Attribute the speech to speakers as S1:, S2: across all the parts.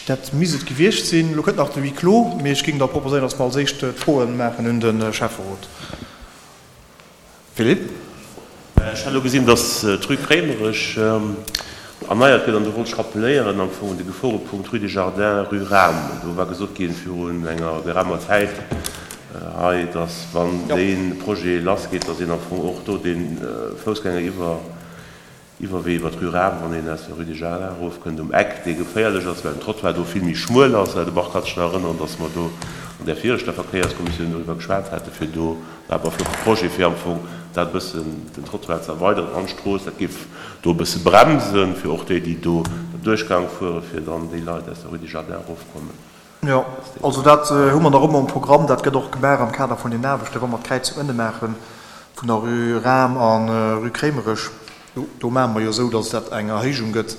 S1: Dat misst et gewiescht sinn. Elo kënnt nach de Huis clos, mee ech géing da proposéieren, dass mer als éischt d'Froen maachen un de Schäfferot. Philippe.
S2: Ech hat elo gesinn, dass d'Rue Kréimerech erneiert gëtt an do wollt ech rappeléieren am Fong un de Geforepunkt Rue des Jardins, Rue Rahm. Do war gesot ginn virun enger geraumer Zäit hei, dass wann dee Projet lassgeet, dass een am Fong och do dee Foussgängeriwwer Iwwerwee iwwer d'Rue Rahm, wann een aus der Rue des Jardins erofkënnt, um Eck, dee geféierlech ass, well den Trottoir do vill méi schmuel ass. De Marc hat sech nach erënneren, dass mer do an där viregter Verkéierskommissioun doriwwer geschwat hate fir do, war awer e flotte Projet, fir am Fong dat e bëssen, den Trottoir ze erweideren an d'Strooss. Dat géif do e bësse bremsen, fir och déi, déi do den Duerchgang fueren, fir dann déi Leit aus der Rue des Jardins erofkommen.
S1: Jo, also dat hu mer nach ëmmer um Programm. Dat gëtt och gemaach am Kader vun den Aarbechten, wa mer d'Kräizung ënne maache vun der Rue Rahm a Rue Kréimerech. Do maache mer jo esou, datt dat eng Erhéijung gëtt,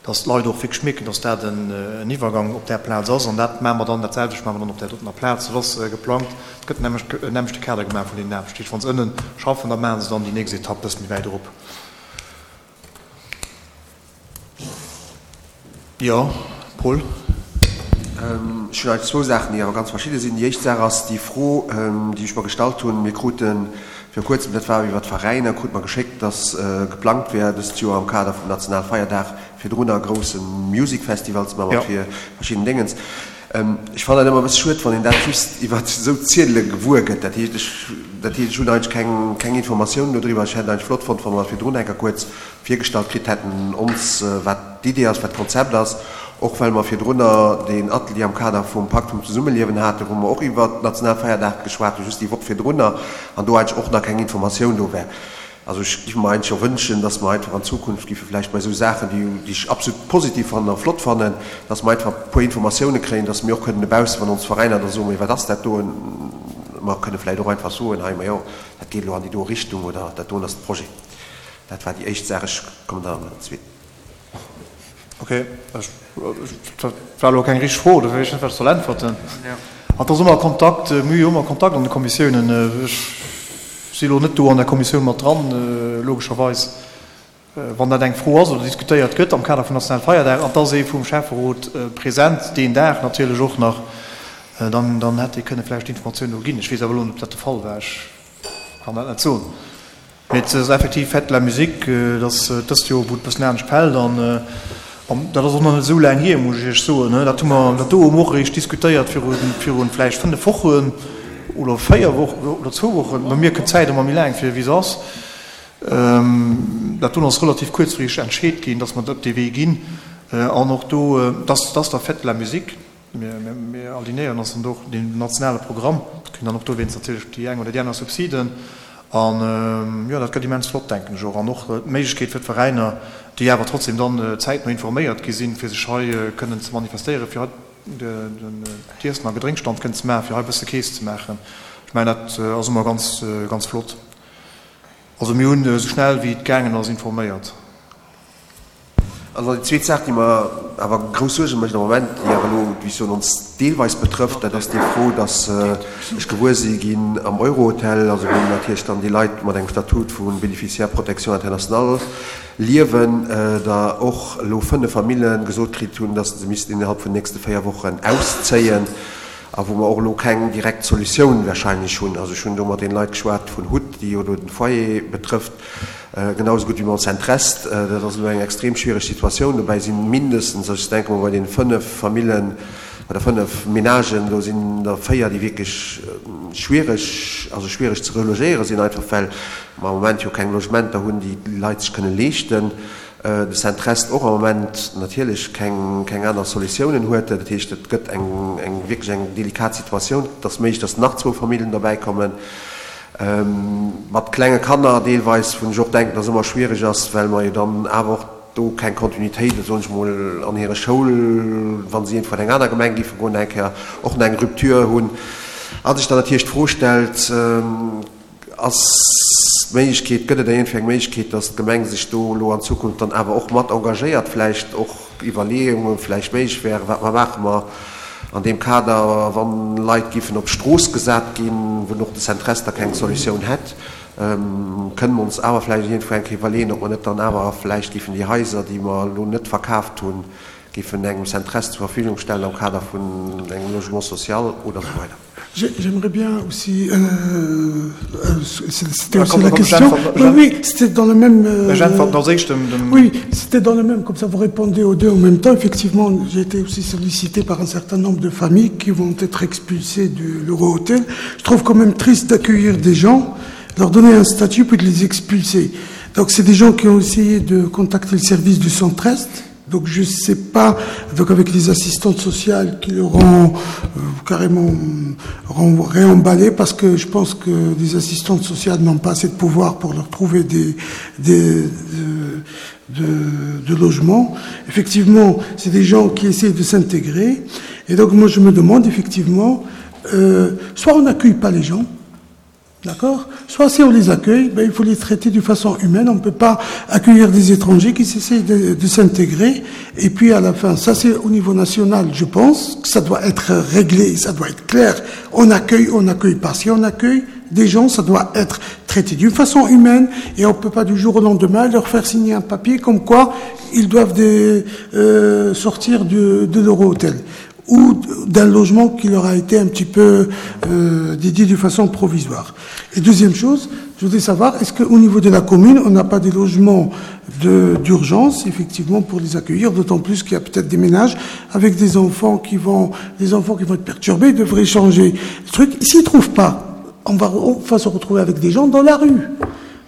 S1: datt d'Leit och wierklech mierken, datt dat en Iwwergang op där Plaz ass. An dat maache mer dann, dat selwecht maache mer dann op där dotener Plaz. Dat ass geplangt. Et gëtt en nämmlechte Kader gemaach vun deenen Aarbechten. Dat heescht, wa se ënne schaffen, da maache se dann déi nächst Etapp e bësse méi wäit erop. Jo, Paul?
S3: Ech hunn eigentlech zwou Saachen, déi awer ganz verschidde sinn. Déi éischt Saach ass déi Fro, déi ech mer gestallt hunn. Mir krute viru Kuerzem, dat war iwwer d'Veräiner, krute mer geschéckt, dass geplangt wär, dëst Joer am Kader vum Nationalfeierdag virdrunner e grousse Music Festival ze maachen mat verschidden Déngens. Ech fannen dat ëmmer e bësse schued, wann een dat just iwwer esou Ziedele gewuer gëtt. Dat heescht, ech, dat heescht, ech hunn eigentlech keng, keng Informatiounen dodriwwer. Ech hätt eigentlech flott fonnt, wa mer dat virdrun eng Kéier kuerz virgestallt kritt hätten ons, wat d'Idee ass, wat d'Konzept ass, och well mer virdrunner deen Atelier am Kader vum Pakt vum Zesummeliewen haten, wou mer och iwwert d'Nationalfeierdag geschwat hunn, just déi Woch virdrunner, an do eigentlech och nach keng Informatioun do war. Also ech géif mer eigentlech och wënschen, dass mer einfach an Zukunft géife vläicht bei esou Saachen, déi, déi ech absolut positiv fannen a flott fannen, dass mer einfach e puer Informatiounen kréien, dass mir och kënnen dobaussen, wann ons Veräiner da soen, Mee wat ass dat doen? Mer kënne vläicht och einfach soen, Hei, majo, dat geet elo an déi do Richtung oder dat doen ass de Projet. Dat war déi éischt Saach. Ech kommen dann mat der zweeten.
S1: Ok, dat war elo keng richteg Fro, dofir weess ech net, wat ech soll äntwerten. An et ass ëmmer Kontakt, mir hu jo ëmmer Kontakt an de Kommissiounen. Ech si elo net do an der Kommissioun mat dran, logescherweis. Wann dat eng Fro ass oder diskutéiert gëtt am Kader vum nationale Feierdag an et ass ee vum Schäfferot present deen Dag natierlech och nach, dann, dann hätt ee kënne vläicht Informatioun do ginn. Ech weess awer elo net, ob dat de Fall war. Ech kann dat net soen. Mee et ass effektiv Fête de la Musique, et ass dëst Joer, wou et e bëssen anescht fält an dat ass och nach net esou laang hier, muss ech Iech soen. Dat hu mer, dat do hu mer och eréischt diskutéiert viru virun vläicht 5 Wochen oder 4 Wochen oder zwou Wochen. Bei mir kënnt d'Zäit ëmmer méi laang vir, wéi se ass. Dat do ass relativ kuerzfristeg entscheet ginn, datt mer op dee Wee ginn an och do, dass dass der Fête de la Musique. Mir alignéieren ons dann do och den nationale Programm, kréien dann och dowéinst natierlech déi eng oder déi aner Subsiden. An jo, dat gëtt immens flott, denken ech och. An och d'Méiglechkeet fir d'Veräiner, déi awer trotzdem dann zäitno informéiert gi sinn, fir sech hei kënnen ze manifestéieren, fir hei den d'Iessen a Gedrénkstand kënnen ze maachen, fir hei e bësse Keess ze maachen. Ech mengen, dat ass ëmmer ganz, ganz flott. Also mir hunn esou schnell wéi et gaangen ass informéiert.
S3: An dann déi zweet Saach, déi mer awer grouss Suerge mécht am Moment, déi awer elo, wéi ech soen, ons deelweis betrëfft, dat ass déi Fro, dass ech gewuer si ginn am Eurohotel, also wou natierlech dann déi Leit mat engem Statut vu Bénéficiaire protection internationale liewen, da och elo 5 Famille gesot kritt hunn, dass se missten innerhalb vun den nächste 4 Wochen auszéien a wou mer och elo keng direkt Solutioun wahrscheinlech hunn. Also ech hunn do mat deene Leit geschwat vun HUT, déi jo do den Foyer betrëfft, Genau esou gutt wéi mam Centrest. Dat ass elo eng extrem schwiereg Situatioun. Dobäi si mindestens, also ech denke mol bei deene 5 Famillen oder 5 Menagen, do sinn der 4, déi wierklech schwiereg, also schwiereg ze relogéiere sinn, einfach well mer am Moment jo keng Logementer hunn, déi d'Leit sech kënne leeschten. De Centrest och am Moment natierlech keng, keng aner Solutiounen huet. Dat heescht, et gëtt eng, eng wierklech eng delikat Situatioun. Et ass méiglech, datt nach zwou Famillen derbäikommen. Mat klenge Kanner deelweis, wou ech och denken, dass ëmmer schwierig ass, well mer jo dann awer och do keng Kontinuitéit, soen ech mol, an hire Schoul, wa si iergendwou an eng aner Gemeng géife goen, eng Kéier och nach eng Rupture hunn. A sech dann natierlech d'Fro stellt, Ass d'Méiglechkeet, gëtt et iergendwéi eng Méiglechkeet, dass d'Gemeng sech do elo an Zukunft dann awer och mat engagéiert, vläicht och Iwwerleeunge vläicht méiglech wären, wat mer maache mer an deem Kader, wann Leit géifen op d'Strooss gesat ginn, wou och de Centrest da keng Solutioun hätt, kënne mer ons awer vläicht iergendwou eng Kéier iwwerleeën, ob mer net dann awer vläicht géifen déi Haiser, déi mer elo net verkaaft hunn, géifen engem Centrest zur Verfügung stellen am Kader vun engem Logement social oder esou weider.
S4: J'aimerais bien aussi euh, euh, c'était aussi la question. Oui, oui, c'était dans le même. Euh, oui, c'était dans le même. Comme ça, vous répondez aux deux en même temps. Effectivement, j'ai été aussi sollicité par un certain nombre de familles qui vont être expulsées de l'Euro-Hôtel. Je trouve quand même triste d'accueillir des gens, leur donner un statut puis de les expulser. Donc, c'est des gens qui ont essayé de contacter le service du centre-est Donc je sais pas, donc avec les assistantes sociales qui leur ont euh, carrément réemballé, parce que je pense que les assistantes sociales n'ont pas assez de pouvoir pour leur trouver des, des, de, de, de logements. Effectivement, c'est des gens qui essaient de s'intégrer. Et donc moi je me demande effectivement, euh, soit on n'accueille pas les gens, D'accord Soit si on les accueille, ben, il faut les traiter d'une façon humaine. On ne peut pas accueillir des étrangers qui s'essayent de, de s'intégrer. Et puis à la fin, ça c'est au niveau national, je pense, que ça doit être réglé, ça doit être clair. On accueille, on n'accueille pas. Si on accueille des gens, ça doit être traité d'une façon humaine et on ne peut pas du jour au lendemain leur faire signer un papier comme quoi ils doivent des, euh, sortir de, de leur hôtel ou d'un logement qui leur a été un petit peu euh, dédié de façon provisoire. Et deuxième chose, je voudrais savoir, est-ce qu'au niveau de la commune, on n'a pas des logements d'urgence, effectivement, pour les accueillir, d'autant plus qu'il y a peut-être des ménages avec des enfants qui vont, des enfants qui vont être perturbés, ils devraient changer le truc. S'ils ne trouvent pas, on va, on va se retrouver avec des gens dans la rue.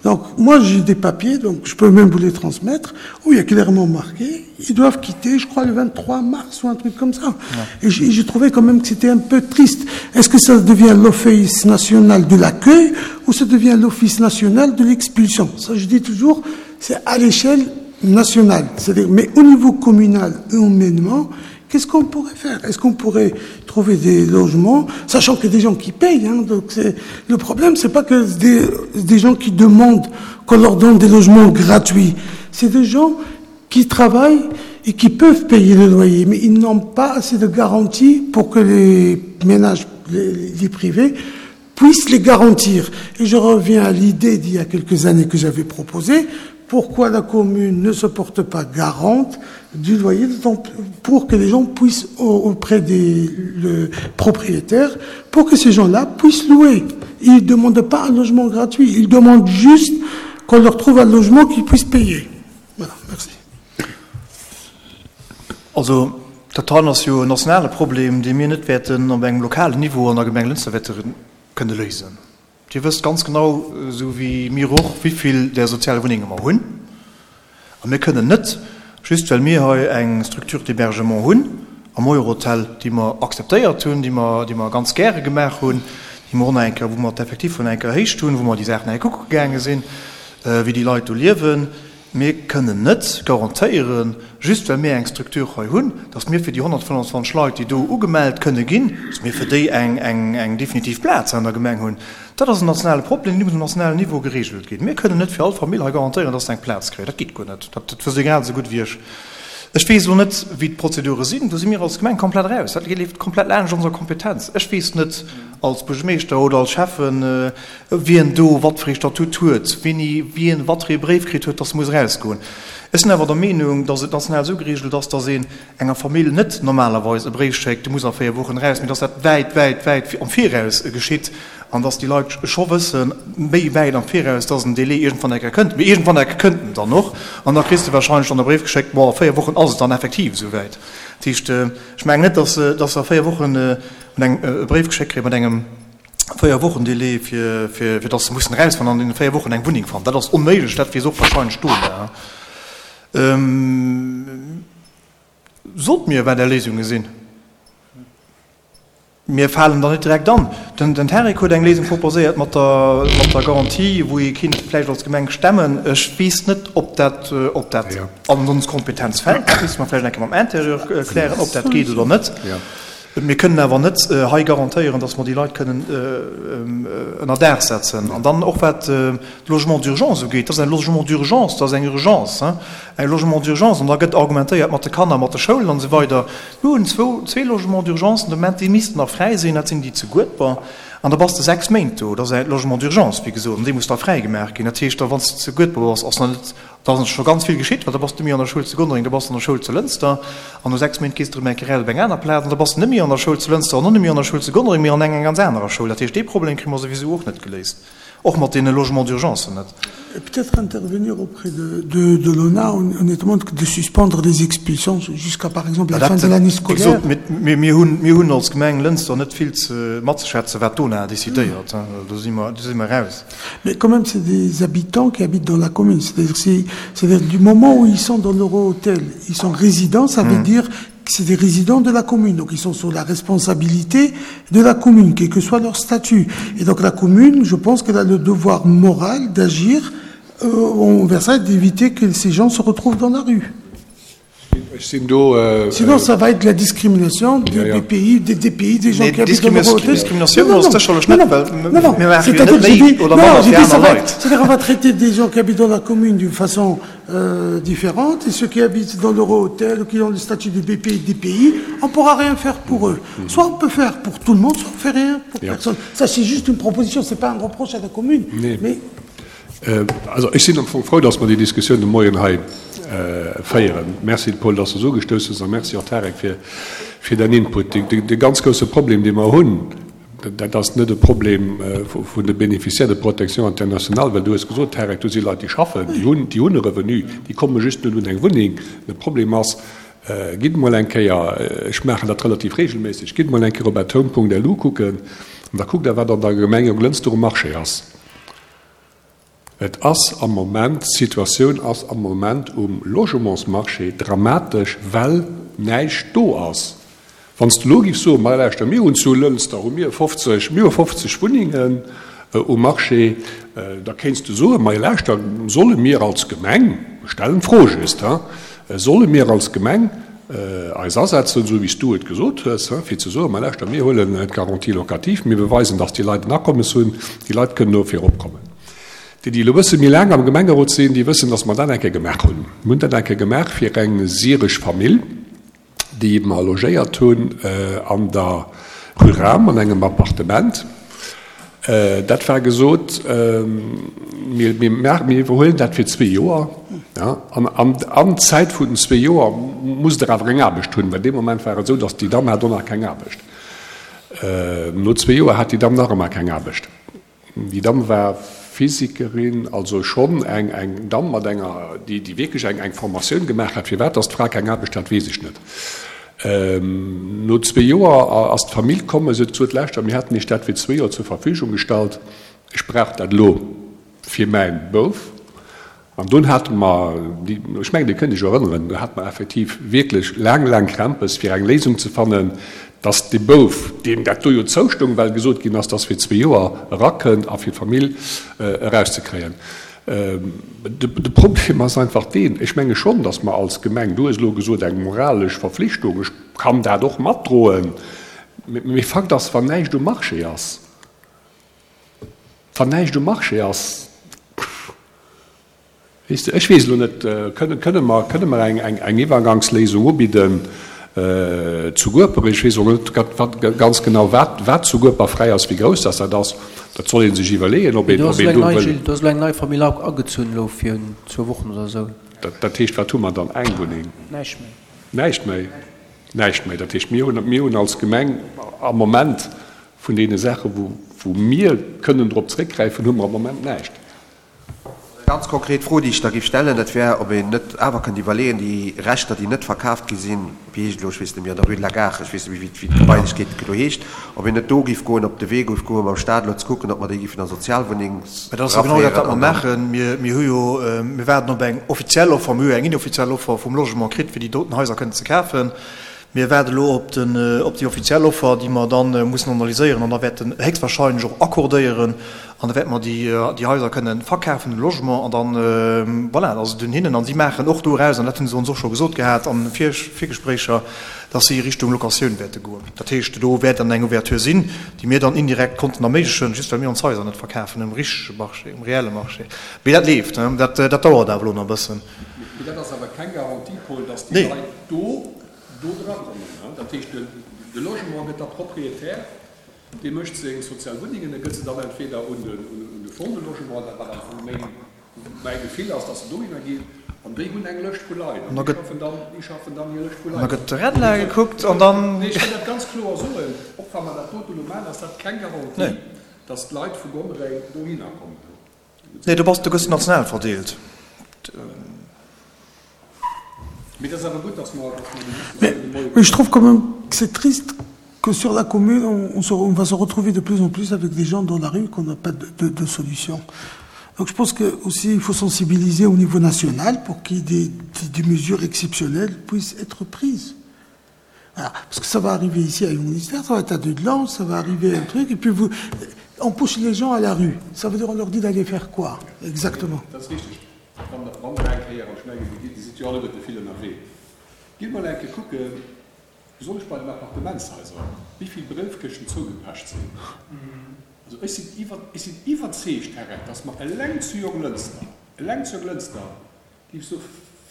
S4: Donc moi j'ai des papiers, donc je peux même vous les transmettre, où il y a clairement marqué, ils doivent quitter, je crois, le 23 mars ou un truc comme ça. Ouais. Et j'ai trouvé quand même que c'était un peu triste. Est-ce que ça devient l'Office national de l'accueil ou ça devient l'Office national de l'expulsion Ça je dis toujours, c'est à l'échelle nationale. C'est-à-dire, mais au niveau communal, humainement, Qu'est-ce qu'on pourrait faire Est-ce qu'on pourrait trouver des logements, sachant qu'il y a des gens qui payent hein, donc le problème, c'est pas que des, des gens qui demandent qu'on leur donne des logements gratuits. C'est des gens qui travaillent et qui peuvent payer le loyer, mais ils n'ont pas assez de garanties pour que les ménages, les, les privés, puissent les garantir. Et je reviens à l'idée d'il y a quelques années que j'avais proposée, pourquoi la commune ne se porte pas garante du loyer pour que les gens puissent auprès des le propriétaires pour que ces gens-là puissent louer. Ils ne demandent pas un logement gratuit, ils demandent juste qu'on leur trouve un logement qu'ils puissent payer. Voilà, merci.
S1: Also, dat hei ass jo en nationale Problem, dee mir net wäerten op engem lokalen Niveau an der Gemeng Lënster wäerte kënne léisen. Dir wësst ganz genau, esou wéi mir och, wéi vill där sozial Wunnenge mer hunn. A mir kënnen net, just well mir hei eng Structure d'hébergement hunn am Eurohotel, déi mer akzeptéiert hunn, déi mer, déi mer ganz gäre gemaach hunn, déi mer och nach eng Kéier, wou mer d'Effectif nach eng Kéier erhéicht hunn, wou mer déi Saachen nach eng Kéier kucke gaange sinn, wéi déi Leit do liewen, Mir kënnen net garantéieren, just well mir eng Structure hei hunn, datt mir fir déi 125 Leit, déi do ugemellt kënne ginn, datt mir fir déi eng definitiv Plaz an der Gemeng hunn. Dat ass en nationale Problem, dee muss um nationalen Niveau geregelt ginn. Mir kënnen net fir all Famill hei garantéieren, datt se eng Plaz kréien. Dat geet guer net. Dat wësst Dir grad esou gutt wéi ech. Ech weess elo net, wéi d'Prozedure sinn. Do si mir als Gemeng komplett eraus. Dat leeft komplett laanscht onser Kompetenz. Ech weess net als Buergermeeschter oder als Schäffen, wien do wat fir ee Statut huet, wéini wien wat fir ee Bréif kritt huet, dass e muss erausgoen. Ech sinn awer der Meenung, dass et national esou geregelt ass, dass een enger Famill net normalerweis e Bréif schéckt, du muss a 4 Wochen eraus, mee dass dat wäit, wäit, wäit am Viraus geschitt an dass déi Leit scho wëssen, méi wäit am Viraus, dass en Délai iergendwann eng Kéier kënnt. Mee iergendwann eng Kéier kënnt en dann och an da kriss de wahrscheinlech dann e Bréif geschéckt, bon, a 4 Wochen ass et dann effektiv esouwäit. Dat heescht, ech mengen net, dass se a 4 Wochen e Bréif geschéckt kréie mat engem 4 Wochen Délai fir fir dass se mussen erausfannen an an deene 4 Wochen eng Wunneng fannen. Dat ass onméiglech, dat weess och wahrscheinlech d'Dona. Sot mir wat Är Léisunge sinn. Mir falen der net direkt an. Den Tarik huet eng Léisung proposéiert mat der mat der Garantie, wou ee kinnt vläicht als Gemeng stemmen. Ech weess net, ob dat ob dat an ons Kompetenz fält. Dat misste mer vläicht eng Kéier mam Interieur klären, ob dat geet oder net. Mir kënnen awer net hei garantéieren, dass mer déi Leit kënnen ënner Daach setzen. An dann och wat d'Logements d'urgence ugeet, dat ass en Logement d'urgence, dat ass eng Urgence, e Logement d'urgence. An da gëtt argumentéiert mat de Kanner, mat de Schoulen an esou weider. Mir hunn zwou, zwee Logements d'urgence de Moment, déi missten nach fräi sinn, dat sinn déi zu Guedber. An da bass de 6 Méint do. Dat ass e Logement d'urgence, wéi gesot, an dee muss da fräigemaach ginn. Dat heescht da, wann s de zu Guedber bass, ass nach net, da ass scho ganz vill geschitt, well da bass de méi an der Schoul zu Gonnereng, da bass de an der Schoul zu Lënster, an no 6 Méint gees de erëm eng Kéier op eng aner Plaz, an da bass de net méi an der Schoul zu Lënster an och net méi an der Schoul zu Gonnereng, mee an enger ganz anerer Schoul. Dat heescht, dee Problem kréie mer souwisou och net geléist. Och mat deene Logements d'urgencen net.
S4: Peut-être intervenir auprès de, de, de l'ONA, honnêtement, de suspendre les expulsions jusqu'à par exemple la fin de l'année scolaire.
S1: Wéi gesot, mir hunn, mir hunn als Gemeng Lënster net vill ze matzeschwätzen, wat d'ONA decidéiert. Do si mer, do si mer raus.
S4: Mais quand même, c'est des habitants qui habitent dans la commune. C'est-à-dire, si, c'est-à-dire du moment où ils sont dans l'Euro-Hôtel, ils sont résidents, ça veut dire c'est des résidents de la commune, donc ils sont sous la responsabilité de la commune, quel que soit leur statut. Et donc la commune, je pense qu'elle a le devoir moral d'agir euh, envers ça et d'éviter que ces gens se retrouvent dans la rue.
S5: Do,
S4: euh, Sinon, ça va être la discrimination des, ja, ja. des pays, des, des pays, des gens
S1: nee,
S4: qui habitent dans le
S1: Discrimination, non,
S4: non, non, non, non, c'est-à-dire que j'ai dit, non, j'ai dit, ça va être, c'est-à-dire on va traiter des gens qui habitent dans la commune d'une façon euh, différente et ceux qui habitent dans l'euro-hôtel ou qui ont le statut de BP et DPI, on ne pourra rien faire pour eux. Mmh. Soit on peut faire pour tout le monde, soit on ne fait rien pour ja. personne. Ça, c'est juste une proposition, ce n'est pas un reproche à la commune.
S5: Nee. Mais äh, also ech sinn am Fong frou, dass mer déi Diskussioun de Moien hei äh, féieren. Merci Paul, dass du so gestouss hues a merci och Tarek fir, fir däin Input. De, de, de ganz grousse Problem, dee mer hunn, Dat ass net e Problem vun de Bénéficiaires de protection internationale, well du hues gesot, Tarek, do si Leit, déi schaffen, déi hunn, déi hunn e Revenu, déi komme just net un eng Wunneng. De Problem ass, gitt emol eng Kéier, ech maachen dat relativ regelméisseg, gitt emol eng Kéier op athome.lu kucken an da kuckt Der, wat an der Gemeng Jonglënster um Marché ass. Et ass am Moment, d'Situatioun ass am Moment um Logementsmarché dramatesch, well näischt do ass. Wann s de elo giffs soen, ma lauschter, mir hunn zu Lënster hu mir 50, mir hu 50 Wunnengen um Marché, da kéints de soen, ma lauschter, solle mir als Gemeng, ech stellen d'Fro just, solle mir als Gemeng eis asetzen, esou wéi s du et gesot hues, fir ze soen, ma lauschter, mir huelen d'Garantie locative, mir beweisen, dass déi Leit en Akommes hunn, déi Leit kënnen do viropkommen. Déi, déi elo e bësse méi laang am Gemengerot sinn, déi wëssen, dass mer dat eng Kéier gemaach hunn. Mir hunn dat eng Kéier gemaach fir eng syresch Famill, déi mer logéiert hunn an der Rue Rahm an engem Appartement. Dat war gesot, mir iwwerhuelen dat fir zwee Joer. An an Zäit vun den zwee Joer musst Der awer eng Aarbecht hunn, well dee Moment war et esou, datt déi Damm hat och nach keng Aarbecht. No zwee Joer hat déi Damm nach ëmmer keng Aarbecht. Déi Damm war Physikerin, also schonn eng eng Damm mat enger, déi déi wierklech eng eng Formatioun gemaach hat. Firwat datt d'Fra keng Aarbecht hat, weess ech net. No zwee Joer ass d'Famill komm a se huet gesot, Lauschtert, mir haten Iech dat fir zwee Joer zur Verfügung gestallt, ech brauch dat elo fir mäi Bouf. An dunn hate mer, ech mengen, Dir kënnt Iech erënneren, do hate mer effektiv wierklech laang, laang Krämpes, fir eng Léisung ze fannen, dass dee Bouf, deem dat do jo zoustoung, well gesot ginn ass, dass fir zwee Joer erakënnt a fir d'Famill erauszekréien. De Problem ass einfach deen, ech menge schonn, datt mer als Gemeng, du hues elo gesot eng moralesch Verflichtung, ech kann dat och matdroen, mee Fakt ass, wann näischt um Marché ass, wann näischt um Marché ass, weess de, ech weess elo net, kënne mer, kënne mer eng Iwwergangsléisung ubidden zu Gueper, ech weess och net ganz genau, wat zu Gueper fräi ass, wéi grouss dass dat ass. Dat soll ee sech iwwerleeën, ob een do wëll.
S6: Do ass elo eng nei Famill agezunn elo virun zwou Wochen oder esou.
S5: Dat heescht, wat hu mer dann? Eng Wunneng?
S6: Näischt méi.
S5: Näischt méi? Näischt méi. Dat heescht, mir hunn, mir hunn als Gemeng am Moment vun deene Saachen, wou mir kënnen drop zréckgräifen, hu mer am Moment näischt.
S3: Eng ganz konkret Fro, déi ech da géif stellen, dat wär, ob een net awer kënnt iwwerleeën, déi Rechter, déi net verkaaft gi sinn, wéi heescht et elo, ech weess net méi, an der Rue de la Gare, ech weess net méi, wéi d'Gebailechkeet elo heescht, ob een net do géif goen, op de Wee géif goen, mam Stat elo ze kucken, ob mer déi géifen a Sozialwunneng
S1: Mä dat ass jo genau dat, wat mer maachen. Mir, mir hu jo, mir waarden op eng offiziell Offer, mir hu jo eng inoffiziell Offer vum Logement kritt, fir déi doten Haiser kënnen ze kafen. Mir waarde elo op den, op déi offiziell Offer, déi mer dann mussen analyséieren an da wäerten héchstwahrscheinlech och accordéieren. An da wäerte mer déi, déi Haiser kënnen verkafen, de Logement. An dann, voilà, ass et un hinnen. An si maachen och doraus, an dat hu se ons och scho gesot gehat an de Virgespréicher, dass si Richtung Locatioun wäerte goen. Dat heescht, do wäert dann eng Ouverture sinn, déi mir dann indirekt konnten erméiglechen, just well mir ons Haiser net verkafen um richtege Marché, um reelle Marché. Mee dat leeft, dat, dat dauert awer elo nach e bëssen.
S5: Mee dat ass awer keng Garantie, Paul, dass déi Leit do do drakommen. Dat heescht, de Logement gëtt da Propriétaire. Dee mécht seng sozial Wunnengen, e gëtt se dann entweder un de Fonds de Logement, dat wat am Fong méi mäi Gefill ass, datt se dohinner ginn, an déi hunn eng Lëscht vu Leit an déi schaffen dann, déi schaffen dann hir Lëscht vu Leit.
S1: An da gëtt de Redla gekuckt an dann.
S5: Nee, ech wëll dat ganz kloer soen, och wa mer dat dote elo maachen, ass dat keng Garantie, datt d'Leit vu Gonnereng dohinner kommen.
S1: Nee, do bass, do gëss de national verdeelt.
S5: Mee et ass awer gutt, dass mer, dass mer déi Diskussioun de Moie.
S4: Mais je trouve quand même que c'est triste que sur la commune, on, on, se, on va se retrouver de plus en plus avec des gens dans la rue qu'on n'a pas de, de, de solution. Donc je pense que aussi il faut sensibiliser au niveau national pour qu'il y ait des, des, des mesures exceptionnelles puissent être prises. Voilà. Parce que ça va arriver ici à Jungministère, ça va être à Dudelange, ça va arriver un truc, et puis vous, on pousse les gens à la rue. Ça veut dire on leur dit d'aller faire quoi exactement?
S5: Dat ass richteg. Wann Der, wann Der eng Kéier, an ech mengen, Dir gitt, Dir sidd jo alleguerte vill ënnerwee, gitt mol eng Kéier kucken, besonnesch bei den Appartementshaiser, wéi vill Bréifkëschten zougepecht sinn. Also ech sinn iwwer, ech sinn iwwerzeegt, Här Reck, dass mer eleng zu Jonglënster, eleng zu Jonglënster, géif sou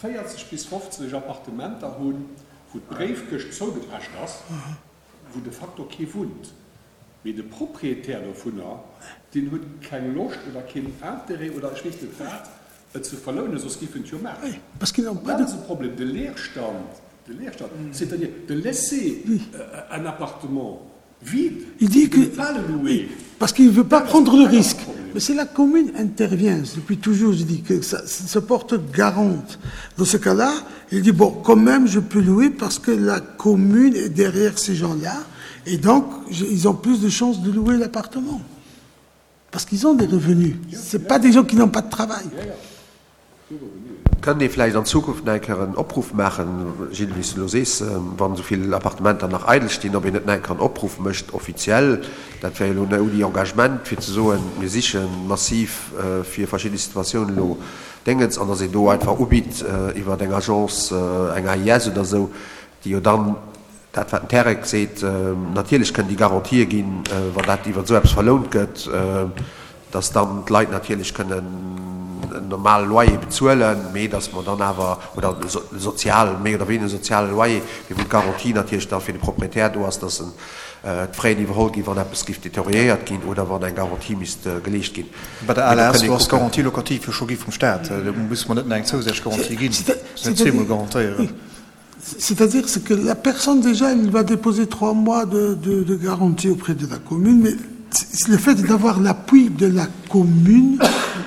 S5: 40 bis 50 Appartementer hunn, wou d'Bréifkëscht zougepecht ass, wou de facto kee wunnt. Mee de Proprietär dovunner, deen huet keng Loscht oder keen Interêt oder ech weess net wat, et ze verlounen, soss géif en et jo maachen. An dat ass e Problem, de Leerstand, de Leerstand, c'est-à-dire de laisser un appartement vide,
S4: Il dit
S5: de ne
S4: que
S5: pas le louer.
S4: Parce qu'il ne veut pas prendre le risque. Mais si la commune intervient, depuis toujours je dis que ça, ça se porte garante. Dans ce cas-là, il dit bon, quand même je peux louer parce que la commune est derrière ces gens-là et donc ils ont plus de chances de louer l'appartement. Parce qu'ils ont des revenus. Ce pas des gens qui n'ont pas de travail.
S3: Kënnt ee vläicht an Zukunft nach eng Kéier en Opruff maachen, Gilles, wéi s de elo sees, wann esou vill Appartementer nach eidel stinn, ob een net nach eng Kéier en Opruff mécht, offiziell, dat wär jo elo ouni Engagement, fir ze soen, mir siche massiv fir verschidde Situatiounen elo Déngens, an datt een do einfach ubitt iwwer eng Agence, eng AIS oder esou, déi jo dann dat wat den Terek seet, natierlech kënnen déi Garantië ginn, wann dat iwwer esou eppes verlount gëtt, dass dann d'Leit natierlech kënnen en normale Loyer bezuelen, mee dass mer dann awer, oder e sozial, méi oder wéineger soziale Loyer, mee wou d'Garantie natierlech da fir de Proprietär do ass, dass en d'Fraien iwwerholl ginn, wann eppes géif deterioriéiert ginn oder wann eng Garantie misst geleescht ginn.
S1: Bei der ALS, do ass d'Garantie locative jo scho gi vum Staat, do musse mer net nach eng zousätzlech Garantie ginn, net zweemol garantéieren.
S4: C'est-à-dire que la personne déjà elle va déposer trois mois de, de, de garantie auprès de la commune, mais le fait d'avoir l'appui de la commune,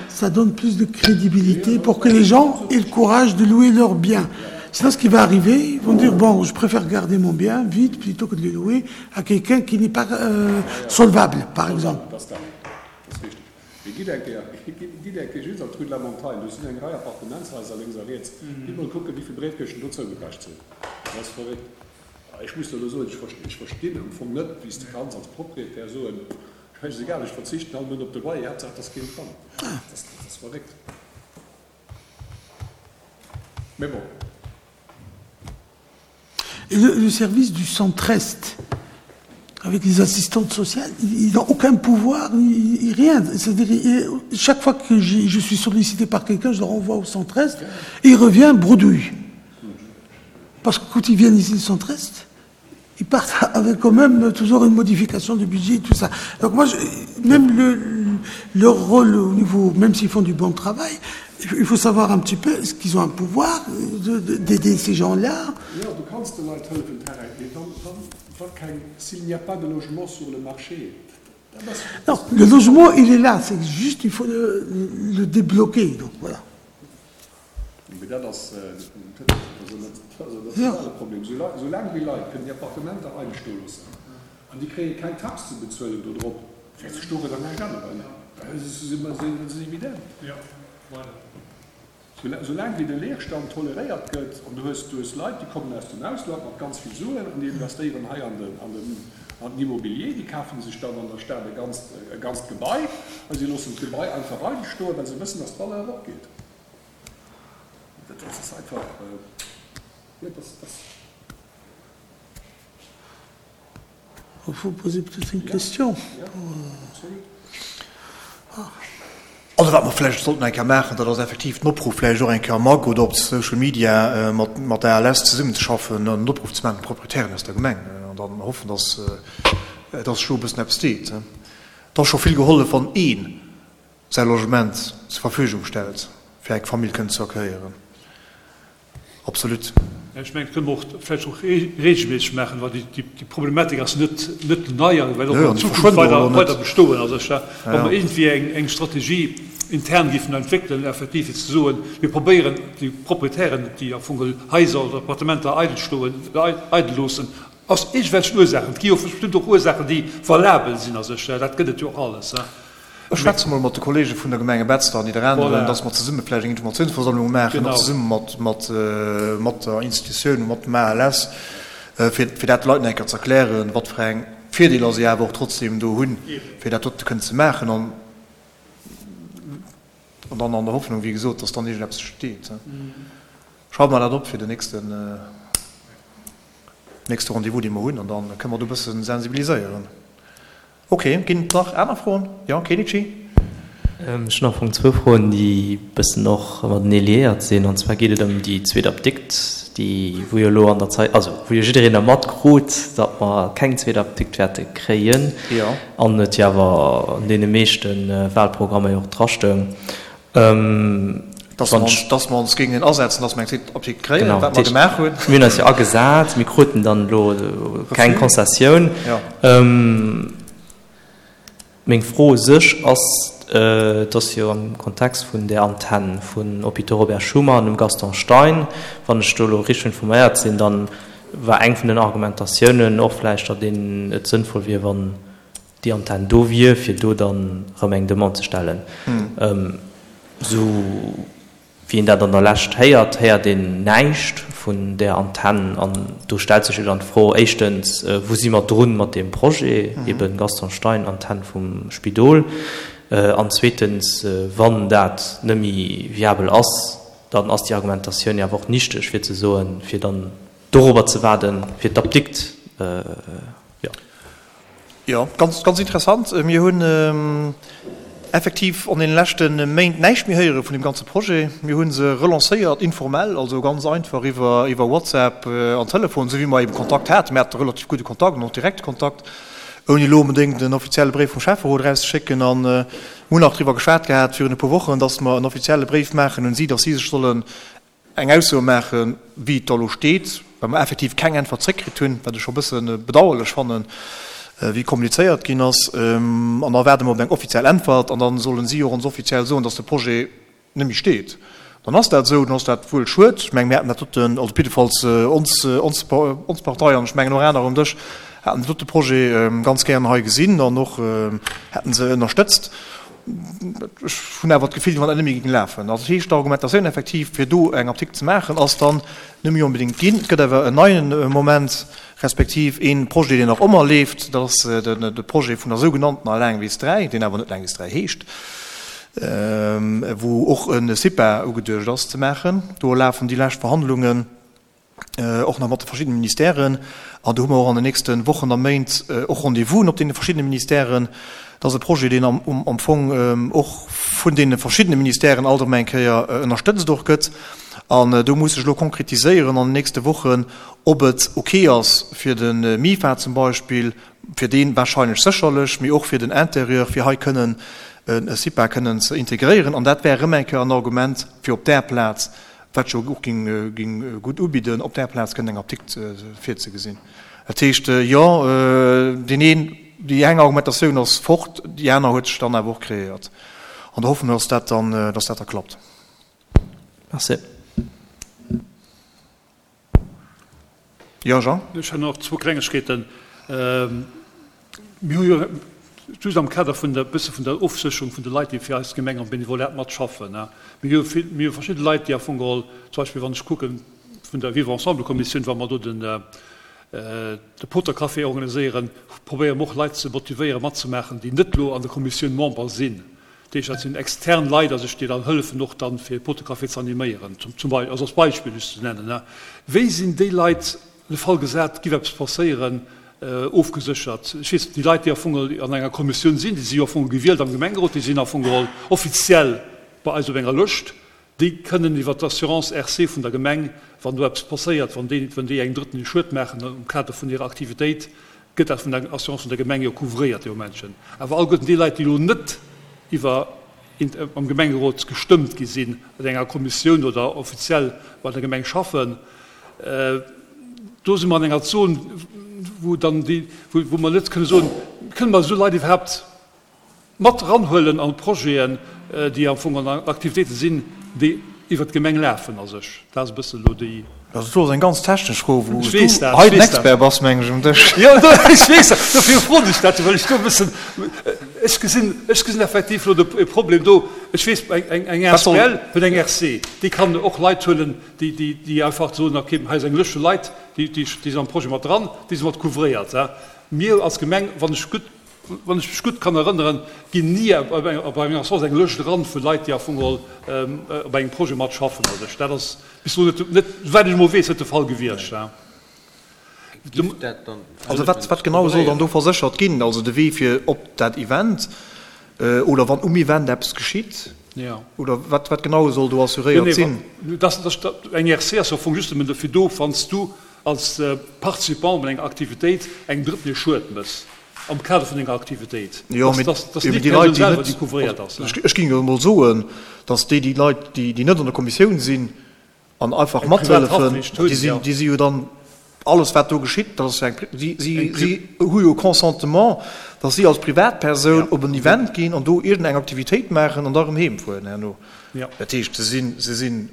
S4: ça donne plus de crédibilité pour que les gens aient le courage de louer leur bien. Sinon, ce qui va arriver, ils vont dire, bon, je préfère garder mon bien vite plutôt que de le louer à quelqu'un qui n'est pas euh, solvable, par exemple.
S5: Mee gitt eng Kéier, gitt eng Kéier just an d'Rue de la Montagne, do sinn eng Rei Appartementshaiser lénks a riets, gitt mol kucken, wéi vill Bréifkëschten do zougepecht sinn. Dat ass verréckt. Ech muss der elo soen, ech verstinn am Fong net, wéi s de kanns als Proprietär soen, schäisegal, ech verzichten all Mount op de Loyer, Haaptsaach et ass keen dran. Dat ass verréckt. Mee bon.
S4: Et le, le service du centre-est, avec les assistantes sociales, ils n'ont aucun pouvoir, ils, rien. C'est-à-dire, chaque fois que je suis sollicité par quelqu'un, je le renvoie au centre-est, et il revient bredouille. Parce que quand ils viennent ici au centre-est, ils partent avec quand même toujours une modification du budget et tout ça. Donc moi, je, même le, leur rôle au niveau, même s'ils font du bon travail, il faut savoir un petit peu, est-ce qu'ils ont un pouvoir d'aider ces gens-là
S5: Jo, du kanns de Leit hëllefen, Tarek, mee wann, wann, wa keng, s'il n'y a pas de logement sur le marché, dat ass.
S4: Non, le logement, il est là, c'est juste, il faut le, le débloquer, donc voilà.
S5: Mee dat ass, dat ass en nationale Problem. Soulaang déi Leit kënnen déi Appartementer eidel stoe loossen an déi kréie keng Tax ze bezuelen dodrop, wäert sech dorënner näischt änneren. Dat ass evident. Soulaang wéi de Leerstand toleréiert gëtt an du hues, du hues Leit, déi kommen aus dem Ausland mat ganz vill Suen an déi investéieren hei an den, an den, an den Immobilier, déi kafe sech dann an der Stad e ganzt, e ganzt Gebai a si loossen d'Gebai einfach eidel stoen, well se wëssen, dass d'Valeur eropgeet. Dat ass einfach, jo, dat ass.
S4: Il faut poser peut-être une question.
S1: Also wat mer vläicht sollten eng Kéier maachen, dat ass effektiv den Opruff vläicht och eng Kéier am Mag oder op Social Media mat mat der ALS zesummenzeschaffen an en Opruff ze maachen un d'Proprietären aus der Gemeng an dann hoffen, dass. Dass sech do e bëssen eppes deet. Et ass scho vill gehollef, wann ee säi Logement zur Verfügung stellt, fir eng Famill kënnen ze accueillieren. Absolut.
S7: Ech mengen, dat kënne mer och vläicht och regelméisseg maachen, well déi Problematik ass net net nei a wäert och an Zukunft weider weider bestoen. Also ech, wa mer iergendwéi eng Strategie intern géifen entwéckelen, effektiv fir ze soen, mir probéieren déi Proprietären, déi am Fong geholl Haiser oder Appartementer eidel stoen, eidel loossen, aus iergendwelchen Ursaachen, et gi jo bestëmmt och Ursaachen, déi valabel sinn a sech, dat gëtt et jo och alles.
S1: Ech schwätze mol mat de Kollege vun der Gemenge Betzder an Nidderaanwen, dass mer zesumme vläicht eng Informatiounsversammlung maachen, och zesumme mat, mat, mat der Institutioun, mat dem ALS, fir, fir dat de Leit nach eng Kéier ze erklären, wat fir eng Virdeeler si awer och trotzdem do hunn, fir dat dote kënnen ze maachen. An, an dann an der Hoffnung, wéi gesot, dass dann iergendeppes steet. Schreiwe mer dat op fir den nächsten, nächste Rendez-vous, dee mer hunn, an da kënne mer do e bësse sensibiliséieren. Ok, ginn et nach aner Froen? Jo, Kenichi?
S6: Ech hunn am Fong zwou Froen, déi e bëssen och matenee liéiert sinn. An zwar geet et ëm déi zweet Apdikt, déi, wou jo elo an der Zait, also wou jo jiddereen da matkrut, datt mer keng zweet Apdikt wäerte kréien.
S1: Jo.
S6: An et jo awer an deene meeschte Wahlprogrammer jo och drastoung.
S1: Dass mer ons, dass mer ons géingen asetzen, dass mer eng zweet Apdikt kréien, wat mer gemaach hunn.
S6: Mir hunn eis jo agesat, mir kruten dann elo keng Konzessioun. Meng Fro u sech ass, et ass jo am Kontext vun där Antenn vun Hôpitaux Robert Schuman an dem Gaston Stein, wann ech do elo richteg informéiert sinn, dann war eng vun den Argumentatiounen och vläicht, datt een et sënnvoll wier, wann déi Antenn do wier, fir do dann erëm eng Demande ze stellen. Esou wéi een dat an der Lescht héiert, héiert een näischt vun där Antenn. An do stellt sech jo dann d'Fro, éischtens, Wou si mer drun mat deem Projet, eben Gaston Stein, Antenn vum Spidol? An zweetens, wann dat net méi viabel ass, dann ass déi Argumentatioun jo awer och nichteg, fir ze soen, fir dann dorobber ze waarden, fir d'Apdikt, jo.
S1: Jo, ganz, ganz interessant. Mir hunn effektiv an deene leschte Méint näischt méi héiere vun deem ganze Projet. Mir hu se relancéiert, informell, also ganz einfach iwwer, iwwer WhatsApp an Telefon, esou wéi mer ebe Kontakt haten. Mir hate relativ gudde Kontakt an och direkte Kontakt, ouni elo onbedéngt en offizielle Bréif vum Schäfferot erauszeschécken. An mir hunn nach driwwer geschwat gehat virun e puer Wochen, dass mer en offizielle Bréif maachen un si, dass si sech sollen eng Ausso maachen, wéi et da elo steet, well mer effektiv keng Äntwert zréckkritt hunn, wat ech scho e bësse bedauerlech fannen, wéi kommunizéiert ginn ass. An da waarde mer op eng offiziell Äntwert an da solle si och ons offiziell soen, dass de Projet net méi steet. Dann ass dat esou, dann ass dat wuel schued. Ech mengen, mir hätten dat doten, also op jiddefalls ons, ons, ons Partei an ech mengen och aner um Dësch, hätten den dote Projet ganz gären hei gesinn an och hätten se ënnerstëtzt. Ech hunn awer d'Gefill, wéi wann dat net méi géing lafen. Also dat heescht, d'Argumentatioun effektiv, fir do eng Apdikt ze maachen, ass dann net méi onbedéngt ginn. Et gëtt awer en neien Moment, respektiv ee Projet, deen nach ëmmer leeft, dat ass de Projet vun der sougenanntener Laangwiss 3, deen awer net Laangwiss 3 heescht, wou och e CIPA ugeduecht ass ze maachen. Do lafen déi lescht Verhandlungen. och nach mat de verschiddene Ministèren, an do hu mer och an den nächste Wochen a Méint och Rendez-vousen op deene verschiddene Ministèren. Dat ass e Projet, deen am Fong och vun deene verschiddene Ministèren alt erëm eng Kéier ënnerstëtzt och gëtt. An do muss sech elo konkretiséieren an den nächste Wochen, ob et ok ass fir de MIFA zum Beispill, fir dee wahrscheinlech sécherlech, mee och fir den Intérieur, fir hei kënnen e CIPA kënnen ze integréieren. An dat wär erëm eng Kéier en Argument, fir op där Plaz wat jo och géing gutt ubidden, op där Plaz kënnen eng Apdikt virzegesinn. Dat heescht, jo, deen een, déi eng Argumentatioun ass fort, déi aner huet sech dann awer och kreéiert. An da hoffe mer, dass dat dann, dass dat da klappt.
S6: Merci.
S1: Jo, Jean?
S7: Ech hunn och zwou Klengegkeeten. Mir hu jo just am Kader vun der, bësse vun der Ofsécherung vun de Leit, déi fir eis Gemeng am Benevolat matschaffen, mir hu vill, mir hu verschidde Leit, déi am Fong geholl, zum Beispill wann ech kucke vun der Vivre ensemble-Kommissioun, wa mer do den, de Potercafé organiséieren, probéiere mer och Leit ze motivéieren matzemaachen, déi net elo an der Kommissioun Member sinn. Dat heescht, dat sinn extern Leit a sech, déi dann hëllefen och dann, fir e Potercafé ze animéieren, zum Beispill, also als Beispill just ze nennen. Wéi sinn déi Leit, de Fall gesat, et géif eppes passéieren, ofgeséchert? Ech weess, déi Leit, déi am Fong geholl an enger Kommissioun sinn, déi si jo am Fong gewielt am Gemengerot, déi sinn am Fong geholl offiziell bei eis op enger Lëscht, déi kënnen iwwer d'Assurance RC vun der Gemeng, wann do eppes passéiert, wann déi, wann déi engem Drëtten e Schued maachen am Kader vun hirer Aktivitéit. Gëtt dat vun der Assurance vun der Gemeng jo couvréiert dee Momentchen. Awer alleguerten déi Leit, déi elo net iwwer am Gemengerot gestëmmt gi sinn, an enger Kommissioun oder offiziell bei der Gemeng schaffen, do si mer an enger Zon, wou dann déi, wou mer net kënne soen, kënne mer esou Leit iwwerhaapt Mat eranhuelen an d'Projeten, déi am Fong an Aktivitéite sinn, déi iwwert d'Gemeng lafen a sech. Dat ass e bëssen elo déi.
S1: Also do ass eng ganz technesch Fro, wou s du hei den Expert bass, mengen ech, um Dësch.
S7: Jo, ech weess dat, dofir froen ech dat jo, well ech do e bëssen, ech gesinn, ech gesinn effektiv elo de e Problem do. Ech weess, eng, eng asbl huet eng RC, déi kann och Leit huelen, déi, déi, déi einfach soen, okay, hei ass eng Lëscht vu Leit, déi, déi sinn am Projet mat dran, déi si mat couvréiert. Mir als Gemeng, wann ech gutt wann ech mech gutt kann erënneren, ginn ni op enger Assurance eng Lëscht eran vu Leit, déi am Fong geholl op engem Projet matschaffen. Also dat ass bis elo net, net, souwäit ech emol weess, net de Fall gewiescht.
S1: Also wat, wat genau soll dann do verséchert ginn? Also de Wee fir op dat Event oder wann um Event eppes geschitt? Oder wat, wat genau soll do assuréiert sinn?
S7: Eng RC ass am Fong just nëmmen dofir do, wann s du als Participant bei enger Aktivitéit engem Drëtten e Schued méchs am Kader vun enger Aktivitéit, dass net d'Persoun selwer, déi couvréiert ass.
S1: Ech géing jo emol soen, dass déi déi Leit, déi net an der Kommissioun sinn an einfach mathëllefen, déi si jo dann, alles wat do geschitt, dat ass jo eng, si hu jo e Consentement, dass si als Privatpersoun op en Event ginn an do iergendeng Aktivitéit maachen an da erëm heem fueren herno. Dat heescht, se sinn, se sinn,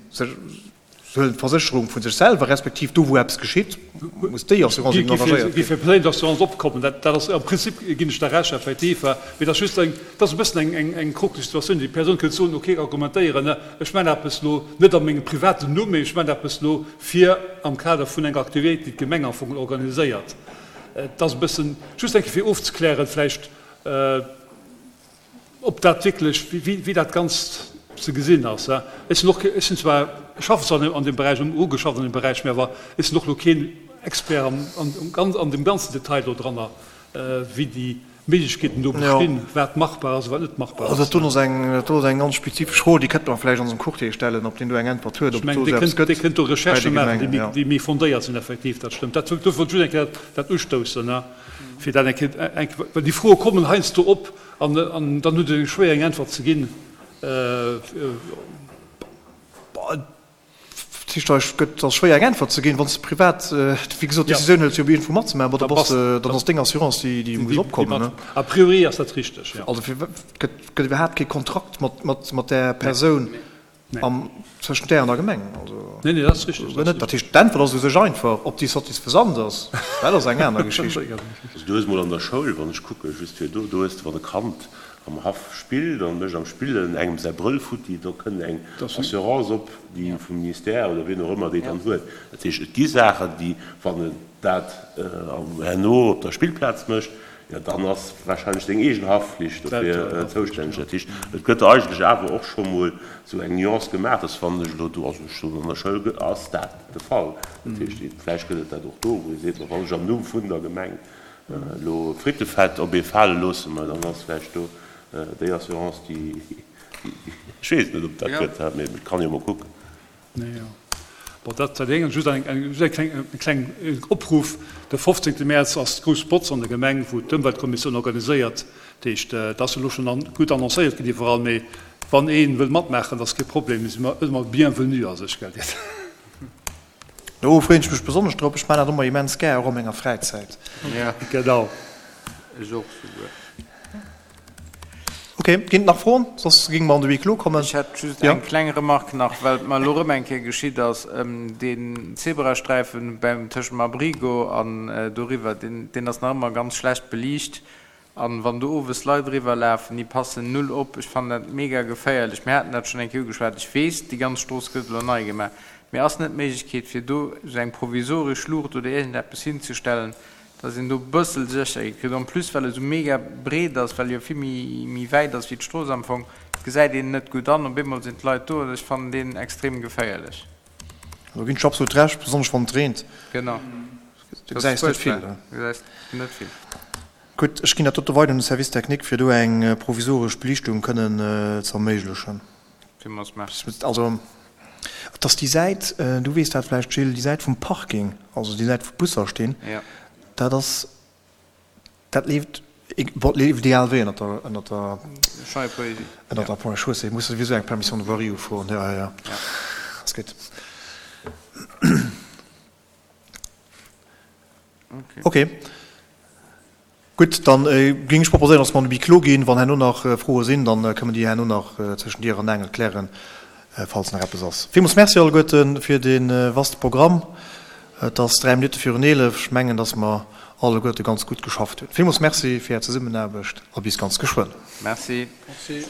S1: Se huelen d'Versécherung vu sech selwer, respektiv do wou eppes geschitt, muss déi Assurance eben engagéiert
S7: ginn. Géif fir Plainte Assurance opkommen. Dat ass am Prinzip, ginn ech der Recht, effektiv. Mee dat ass just eng, dat ass e bëssen eng, eng krokleg Situatioun. Déi Persoun kënnt soen, okay, argumentéieren, ech maachen eppes elo net a mengem privaten Numm, mee ech maachen eppes elo fir am Kader vun enger Aktivitéit, déi d'Gemeng am Fong organiséiert. Et ass e bëssen, just eng Kéier fir ofzeklären vläicht, Ob dat wierklech, wéi dat Ganzt ze gesinn ass. Ech sinn och, ech sinn zwar, ech schaffen zwar an deem Beräich, hu geschafft an deem Beräich, mä awer ech sinn och elo keen Expert am, an dem ganzen Detail do dranner, wéi déi Méiglechkeeten do bestinn, wat machbar ass a wat net machbar
S1: ass. Also dat do ass eng, dat do ass eng ganz spezifesch Fro, déi kënnte mer vläicht onsem Courtier stellen, ob deen do eng Äntwert huet,
S7: ob et do esou eppes gëtt. Ech mengen, dee kënnt do Recherchë maachen, déi méi fondéiert sinn, effektiv, dat stëmmt. Dat, dofir wollt ech just eng Kéier dat ustoussen, fir dat eng Kéier, well déi Froe kommen heiansdo op, An dann huet et schwéier eng Äntwert ze ginn.
S1: Dat heescht, et gëtt ass schwéier eng Äntwert ze ginn, wann s de privat, wéi gesot, d'Decisioun hëls fir op iergendwou matzemaachen, bon da bass de, dann ass deng Assurance déi déi muss opkommen.
S7: A priori ass dat richteg, jo.
S1: Also fir gëtt gëtt iwwerhaapt kee Kontrakt mat mat mat där Persoun. Am zwëschent där an der Gemeng.
S7: Also, nee, nee, dat ass richtig.
S1: Dat net. Dat heescht, d'Äntwert ass u sech einfach. Ob déi satisfaisant ass, dat ass eng aner Geschicht.
S2: Also du hues mol an der Schoul, wann ech kucke just fir do, do hues de, wann e Kand am Haff spillt an mécht am Spillen engem säi Brëll futti, do kënnt eng Assurance op, déi vum Ministère oder wien och ëmmer déi dann huet. Dat heescht, et gi Saachen, déi, wann en dat herno op der Spillplaz mécht, Jo, dann ass wahrscheinlech seng eegen Haftflicht dofir zoustänneg. Dat heescht, et gëtt eigentlech awer och scho mol esou eng Nuance gemaach, dass wann ech elo do, also ech soen an der Schoul ass dat de Fall, dat heescht, vläicht gëtt et dat och do, wou ee seet, ma wann ech am Numm vun der Gemeng elo Frittefett op ee fale loosse, ma dann ass vläicht do déi Assurance, déi, ech weess et net, ob et dat gëtt, mee et kann ee jo mol kucken.
S7: Bon, dat war déi eng. Just eng, just eng kleng, e kleng Opruff, De 15. Mäerz ass d'grouss Botz an der Gemeng, wou d'Ëmweltkommissioun organiséiert. Dat heescht, dat ass elo schonn gutt annoncéiert ginn iwwerall, mee wann ee wëll matmaachen, dat ass kee Problem, mir si ëmmer bienvenu a sech, gell Dir.
S1: Do freeën ech mech besonnesch drop. Ech maachen dat ëmmer immens gär, och a menger Fräizäit.
S7: Genau.
S8: Ech och souguer.
S1: Ok, ginn et nach Froen? Soss géinge mer an de Huis clos kommen.
S8: Ech hätt just eng kleng Remarque nach, well et mer elo erëm eng Kéier geschitt ass. Deen Zebrasträifen beim, tëschent dem Abrigo an doriwwer, deen, deen ass nach ëmmer ganz schlecht beliicht. An wann do owes Leit eriwwer lafen, déi passen null op. Ech fannen dat mega geféierlech. Mir haten dat schonn eng Kéier ugeschwat. Ech weess, déi ganz Strooss gëtt elo nei gemaach. Mee ass net d'Méiglechkeet, fir do esou eng provisoresch Luucht oder iergendeppes hinzestellen, dass een do e bëssel Sécherheet kritt, en plus well e sou mega breet ass, well e jo vill méi méi wäit ass wéi d'Strooss am Fong, gesäit een net gutt an op eemol sinn d'Leit do an ech fannen deen extrem geféierlech.
S1: Do ginn ech absolut Recht, besonnesch wann et reent.
S8: Genau,
S1: Du gesäis net vill.
S8: Du gesäis net vill.
S1: Gutt, ech ginn dat dote weider un de Service technique, fir do eng provisoresch Beliichtung kënnen ze erméiglechen.
S8: Villmools Merci.
S1: Also, et ass déi Säit, du weess dat vläicht, Gilles, déi Säit vum Parking, also déi Säit wou d'Busser stinn, dat ass. Dat leeft, bon, leeft ideal wéi ënnert der, ënnert der, ënnert der Ponts et Chaussées. Muss souwisou eng Permission de voirie ufroen. Ja, ja, ja. Ass gutt. Okay. Gutt, dann géing ech proposéieren, dass mer an de Huis clos ginn. Wann herno nach Froe sinn, dann kënnen mer déi herno nach zwëschen Dier an Aangel klären, falls nach eppes ass. Villmools Merci alleguerte fir dee vaste Programm. Et ass 3 Minutte virun 11. Ech mengen, dass mer alleguerte ganz gutt geschafft hunn. Villmools Merci fir Är Zesummenaarbecht a bis ganz geschwënn.
S8: Merci.
S7: Merci.